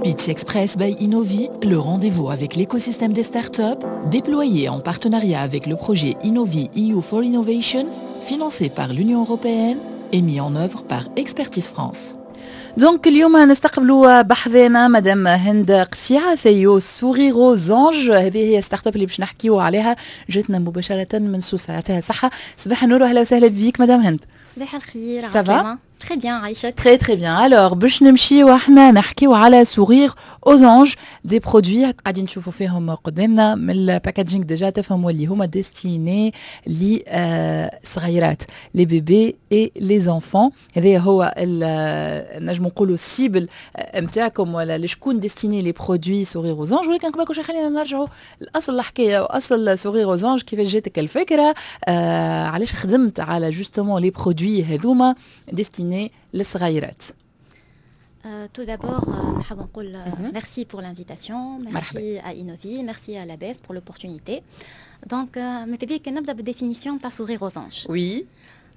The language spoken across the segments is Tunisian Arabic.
Pitch Express by Innovi, le rendez-vous avec l'écosystème des startups, déployé en partenariat avec le projet Innovi EU for Innovation, financé par l'Union européenne et mis en œuvre par Expertise France. Donc اليوم نستقبلوا بحذانا مدام هند قسيعة، CEO Sourire aux Anges. هذه هي startup اللي باش نحكيو عليها، جاتنا مباشرة من سوسة. يعطيها الصحة. صباح النور واهلا وسهلا بيك مدام هند. صباح الخير. ça va؟ très bien، عايشك. très très bien. alors باش نمشيو احنا نحكيو على Sourire aux Anges، des produits قاعدين نشوفوا فيهم قدامنا، من ال packaging déjà تفهموا اللي هما destinés لي صغيرات، les bébés et les enfants. هذا هو نجم نقولوا ال cible نتاعكم ولا لشكون destinés les produits Sourire aux Anges. ولكن قبل كل شيء خلينا نرجعوا لاصل الحكاية واصل Sourire aux Anges، كيفاش جاتك الفكره؟ علاش خدمت على justement les produits هذوما destinés للصغيرات؟ Tout d'abord, نحب نقول merci pour l'invitation, merci à Innovi, merci à l'ABES pour l'opportunité. Donc, ماذا بيك نبدا بال définition تاع Sourire aux Anges. Oui.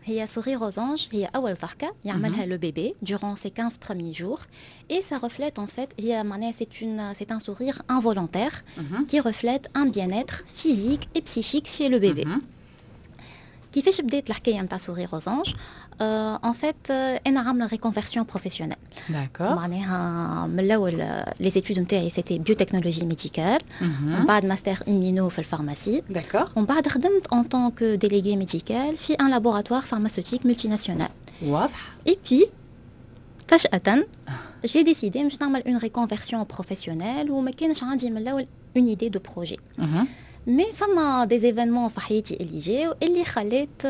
هي Sourire aux Anges هي أول ضحكة يعملها le bébé durant ses 15 premiers jours et ça reflète en fait هي معناها c'est un sourire involontaire qui reflète un bien-être physique et psychique chez le bébé. كيفاش بدات الحكاية نتاع Sourire aux Anges؟ en fait انا عامله reconversion professionnelle. معناها من الاول les études نتاعي c'était biotechnologie médicale، ومن بعد master immuno في ال pharmacie. ومن بعد خدمت en tant que déléguée médicale في un laboratoire pharmaceutique multinational. Et puis فجأة j'ai décidé باش نعمل une reconversion professionnelle، وما كانش عندي من الاول une idée de projet. Mais فما des événements في حياتي اللي جاو اللي خلات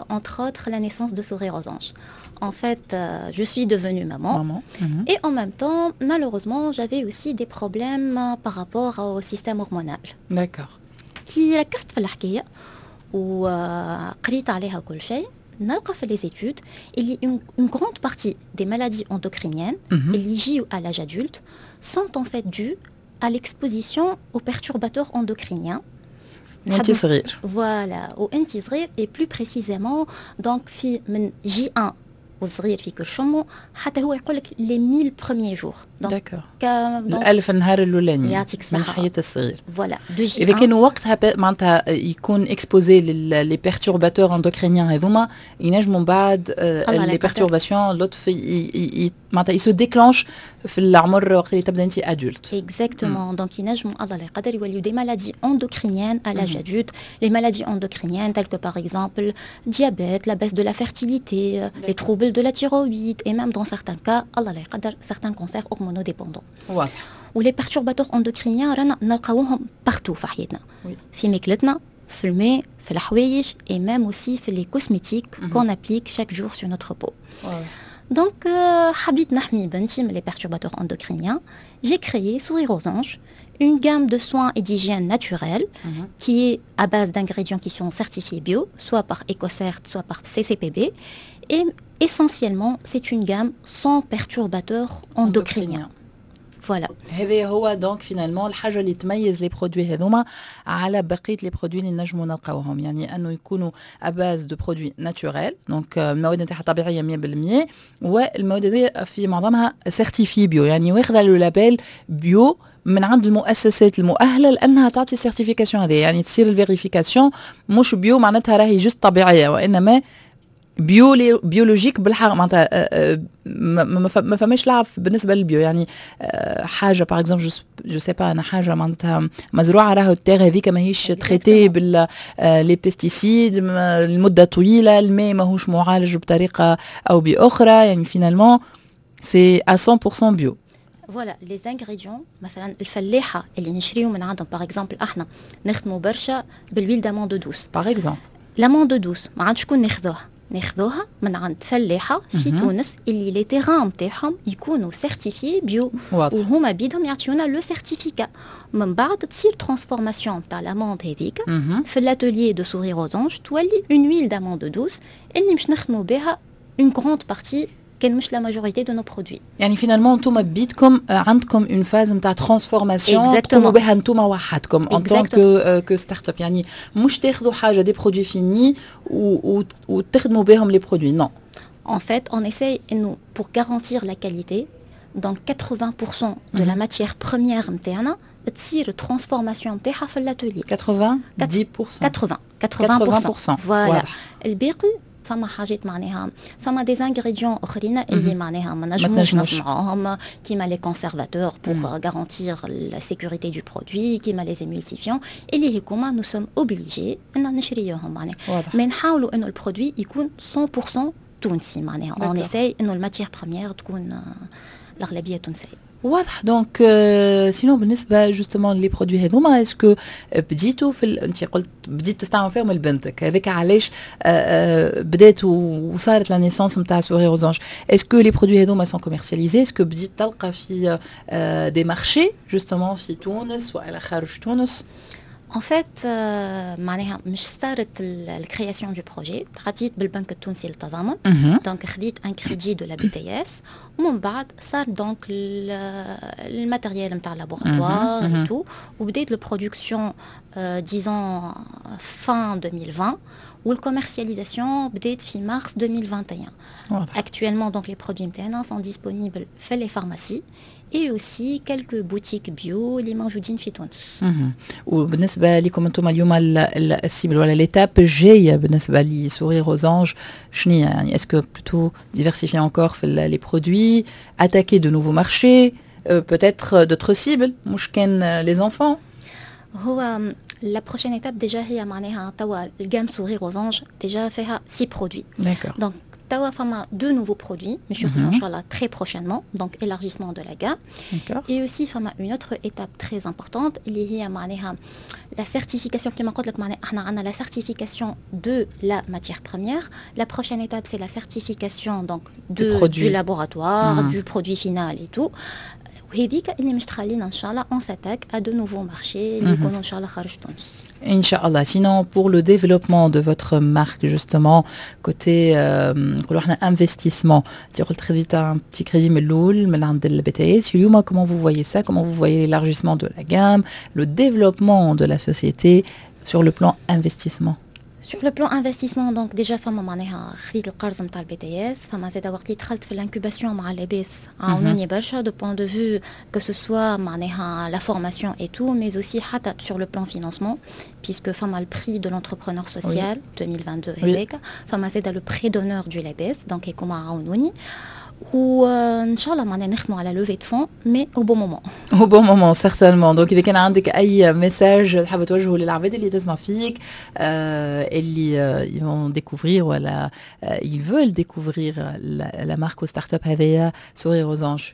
entre autres la naissance de Sourire aux Anges. En fait, je suis devenue maman. Maman. Et en même temps, malheureusement, j'avais aussi des problèmes par rapport au système hormonal. كي ركزت في الحكاية وقريت عليها كل شيء، نلقى في les études اللي une grande partie des maladies endocriniennes اللي يجيو à l'âge adulte sont en fait dues à l'exposition aux perturbateurs endocriniens. وانت صغير. Voilà، وانت صغير et plus précisément donc في من J1 والصغير في كرش امو حتى هو يقول لك les 1000 premiers jours. d'accord، الألف نهار الاولاني. يعطيك من الصحة. حياة الصغير. voilà، de J اذا كانوا وقتها معناتها يكون exposé les perturbateurs endocriniens هذوما، ينجموا من بعد الله لا les يقدر. perturbations لطف معناتها ils se déclenchent في العمر وقت اللي تبدا انت adulte. Exactement. Donc, ينجموا الله لا يقدر يوليو des maladies endocriniennes à l'âge adulte. Les maladies endocriniennes telles que par exemple diabète, la baisse de la fertilité, les troubles de la thyroïde et même dans certains cas الله لا يقدر certains cancers hormonodépendants. و les perturbateurs endocriniens رانا نلقاوهم partout في حياتنا. في ماكلتنا، في الماء، في الحوايج et même aussi في les cosmétiques qu'on applique chaque jour sur notre peau. Donc, حبيت نحمي بنتي من les perturbateurs endocriniens. J'ai créé Sourire aux Anges, une gamme de soins et d'hygiène naturelle qui est à base d'ingrédients qui sont certifiés bio, soit par EcoCert, soit par CCPB. Et essentiellement, c'est une gamme sans perturbateurs endocriniens. Voilà. هذا هو donc finalement الحاجة اللي تميز les produits هذوما على بقية les produits اللي نجموا نلقاوهم، يعني انه يكونوا à base de produits naturels، donc المواد نتاعها طبيعية 100%، والمواد هذه في معظمها certifiées bio، يعني واخذه le label bio من عند المؤسسات المؤهله لانها تعطي certification هذه، يعني تصير ال vérification. مش bio معناتها راهي juste طبيعيه، وانما bio biologique بالحق، معناتها ما فماش لعب بالنسبة لل bio. يعني حاجة par exemple، je sais pas انا، حاجة معناتها مزروعة راهو ال terre هذيك ماهيش traitée بال les pesticides لمدة طويله، الماء ماهوش معالج بطريقة او باخرى، يعني finalement c'est 100% bio. voilà، les ingrédients مثلا الفلاحة اللي نشريو من عندهم، par exemple احنا نخدموا برشا بال huile d'amande douce. par exemple. l'amande douce ما عندش شكون ناخذوها؟ ناخذوها من عند فلاحة في تونس اللي les terrains نتاعهم يكونوا certifiés bio، وهما بيدهم يعطيونا le certificat. من بعد تصير transformation تاع l'amande هذيك في l'atelier de Sourire aux Anges، تولي une huile d'amande douce اللي مش نخدموا بها une grande partie كان مش la majorité de nos produits. يعني finalement انتم بيدكم عندكم une phase نتاع transformation تقوموا بها انتم وحدكم en tant que startup، يعني مش تاخذوا حاجة des produits finis وتخدموا بهم les produits، non؟ En fait, on essaye, nous, pour garantir la qualité, Donc 80% de la matière première نتاعنا تصير transformation نتاعها في l'atelier. 90%؟ 80، 80%, voilà. الباقي فما حاجات معناها فما des ingrédients اخرين اللي معناها ما نجموش نصنعوهم، كيما les conservateurs pour garantir la sécurité du produit، كيما les émulsifiants اللي هكوما nous sommes obligés ان نشريوهم معناها. mais نحاولوا انه ال produit يكون 100% تونسي، معناها on essaye انه ال matière première تكون الاغلبية تونسيه. واضح. donc sinon بالنسبة justement les produits هذوما، est-ce que بديتوا في، انت قلت بديت تستعمل فيهم لبنتك، هذاك علاش بدات وصارت la naissance نتاع Sourire aux Anges. est-ce que les produits هذوما sont commercialisés؟ est-ce que بديت تلقى في des marchés justement في تونس والا خارج تونس؟ En fait, معناها مش صارت ال création du projet، تعديت بالبنك التونسي للتضامن، donc خديت un crédit de la BTS، ومن بعد صار donc ال matériel نتاع laboratoire et tout، وبديت la production disons fin 2020، وال commercialisation بدات في مارس 2021. Actuellement, donc les produits نتاعنا sont disponibles في les pharmacies et aussi quelques boutiques bio اللي موجودين في تونس. وبالنسبة لكم انتم اليوم، ال cible ولا l'étape الجاية بالنسبة ل Sourire aux Anges شنو يعني؟ est-ce que plutôt diversifier encore في les produits، attaquer de nouveaux marchés، peut-être d'autres cibles، مش كان les enfants؟ هو la prochaine étape déjà هي معناها توا ال gamme Sourire aux Anges déjà فيها 6 produits. Donc توا فما deux nouveaux produits مش يخرجوا ان شاء الله très prochainement، donc élargissement de la gamme. Et aussi فما une autre étape très importante اللي هي معناها la certification. كما قلت لك معناها احنا عندنا la certification de la matière première. La prochaine étape, c'est la certification donc du laboratoire, du produit final et tout. وهذيك اللي مش تخلينا ان شاء الله on s'attaque à de nouveaux marchés اللي يكونوا ان شاء الله خارج تونس. إن شاء الله. Sinon, pour le développement de votre marque, justement, côté investissement, tu as un petit crédit من من عند ال BTS. اليوم, comment vous voyez ça؟ Comment vous voyez l'élargissement de la gamme، le développement de la société sur le plan investissement؟ Sur le plan investissement، donc déjà فما معناها خديت القرض نتاع ال BTS، فما زاد وقت اللي دخلت في l'incubation مع لاباس عاونوني برشا de point de vue que ce soit معناها la formation et tout، mais aussi حتى sur le plan financement، puisque فما ال prix de l'entrepreneur social 2022 هذاك، فما زاد le prêt d'honneur du لاباس، donc هيكما عاونوني، وان شاء الله معناها نخدموا على levée de fonds، mais au bon moment. au bon moment، certainement. donc اذا كان عندك اي message تحب توجهه للعباد اللي تسمع فيك، اللي ils vont découvrir ولا ils veulent découvrir la marque ou start-up هذيا Sourire aux Anges؟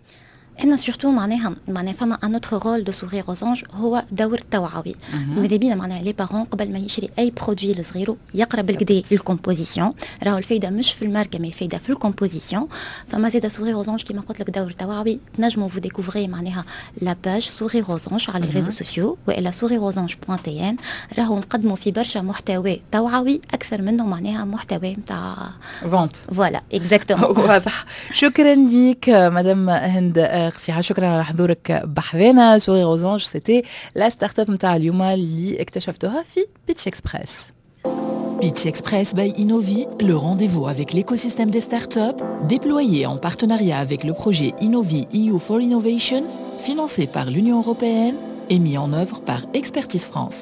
انا surtout معناها فما un autre rôle de Sourire aux Anges، هو دور توعوي. ماذا بينا معناها les parents قبل ما يشري اي produit لصغيرو يقرا بالكدا ال composition. راهو الفايدة مش في الماركه، mais الفايدة في ال composition. فما زاد Sourire aux Anges كيما قلت لك دور توعوي، تنجموا vous découvrez معناها la page Sourire aux Anges على les réseaux sociaux والا sourireauxanges.tn. راهو نقدموا في برشا محتوى توعوي اكثر منه معناها محتوى نتاع vente. voilà، exactement. واضح. شكرا لك مدام هند قصيحة، شكرا على حضورك بحذانا. Sourire aux Anges، c'était la startup نتاع اليوم اللي اكتشفتوها في Pitch Express. Pitch Express by Innovi، le rendez-vous avec l'écosystème des startups، déployé en partenariat avec le projet Innovi EU for Innovation، financé par l'Union européenne et mis en œuvre par Expertise France.